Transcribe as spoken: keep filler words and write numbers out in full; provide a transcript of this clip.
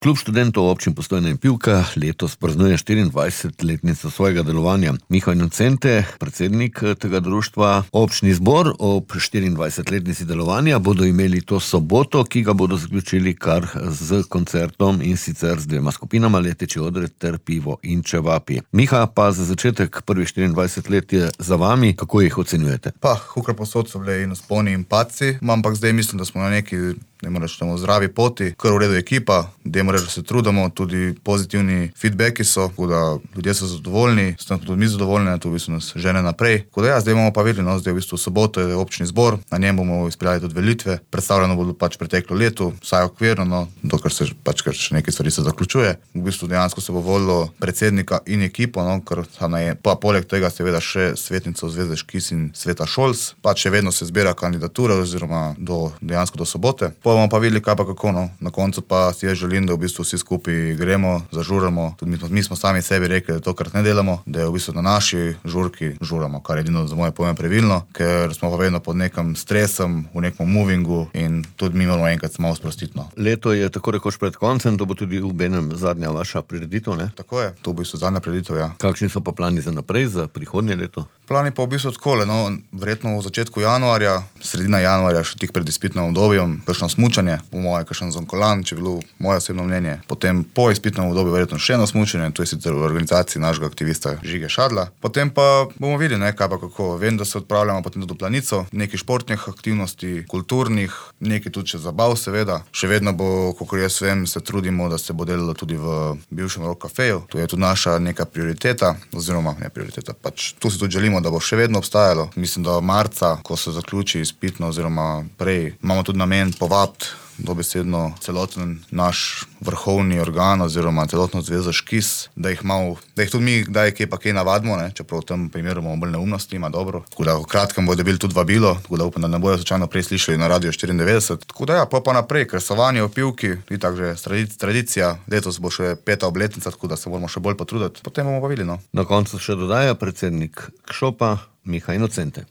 Klub študentov občin Postojna in Pivka letos praznuje štiriindvajsetletnico svojega delovanja. Miha Inocente, predsednik tega društva, občni zbor ob štiriindvajsetletnici delovanja bodo imeli to soboto, ki ga bodo zaključili kar z koncertom, in sicer z dvema skupinama, Leteči odred ter Pivo in čevapi. Miha, pa za začetek prvih štiriindvajset let je za vami, kako jih ocenjujete? Pa, hukar posod so bile in vzponi in padci, ampak zdaj mislim, da smo na neki, ne moreš temu, zdravi poti, kar v redu ekipa, dajmo reči, da se trudimo, tudi pozitivni feedbacki so, tako da ljudje so zadovoljni, smo tudi mi zadovoljni, to v bistvu nas žene naprej. Tako da ja, zdaj bomo pa videli, no, zdaj v bistvu soboto je občni zbor, na njem bomo izpeljali tudi velitve, predstavljeno bo pač preteklo leto, vsaj okvirno, no, dokler se pač kar še nekaj stvari se zaključuje. V bistvu dejansko se bo volilo predsednika in ekipo, no, ker je, pa poleg tega seveda še svetnico Zveze Škis in Sveta Šolc, pač še vedno se zbira kandidatura oziroma do, dejansko do sobote. Pa bomo pa videli, kaj pa kako, no. Na koncu pa si jaz želim, da v bistvu vsi skupaj gremo, zažuramo. Tudi mi, mi smo sami sebi rekli, da tokrat ne delamo, da je v bistvu na naši žurki žuramo, kar je edino za moje pojme pravilno, ker smo pa vedno pod nekim stresom, v nekem movingu in tudi mi moramo enkrat malo sprostiti, no. Leto je tako rekoč pred koncem, to bo tudi v benem zadnja vaša prireditev, ne? Tako je, to bo v bistvu zadnja prireditev, ja. Kakšni so pa plani za naprej, za prihodnje leto? Plani pa v bistvu takole, no, verjetno v začetku januarja, sredina januarja, še tik pred izpitnim obdobjem, kakšno smučanje, po moje, kakšen zonkolan, če je bilo moje osebno mnenje. Potem po izpitnem obdobju verjetno še eno smučanje, to je sicer v organizaciji našega aktivista Žige Šadla. Potem pa bomo videli, ne, kaj pa kako. Vem, da se odpravljamo potem do Planico, nekaj športnih aktivnosti, kulturnih, nekaj tudi še zabav seveda. Še vedno bo, kakor jaz vem, se trudimo, da se bo delalo tudi v bivšem Rock Cafeju. To je tudi naša neka prioriteta, oziroma ne prioriteta, pač tu si tudi želimo, da bo še vedno obstajalo. Mislim, da marca, ko se zaključi izpitno oziroma prej, imamo tudi namen povabiti dobesedno celoten naš vrhovni organ oziroma celotno Zvezo Škis, da jih malo, da jih tudi mi kdaj kje pa kaj navadimo, ne, čeprav v tem primeru imamo bolj neumnosti, ima dobro. Tako da v kratkem bodo dobili tudi vabilo, tako da upam, da ne bojo slučajno prej slišali na Radio štiriindevetdeset. Tako da ja, pa pa naprej, kresovanje v Pivki, itak že tradicija, letos bo še peta obletnica, tako da se moramo še bolj potruditi, potem bomo pa videli, no. Na koncu še dodaja predsednik Kšopa, Miha Inocente.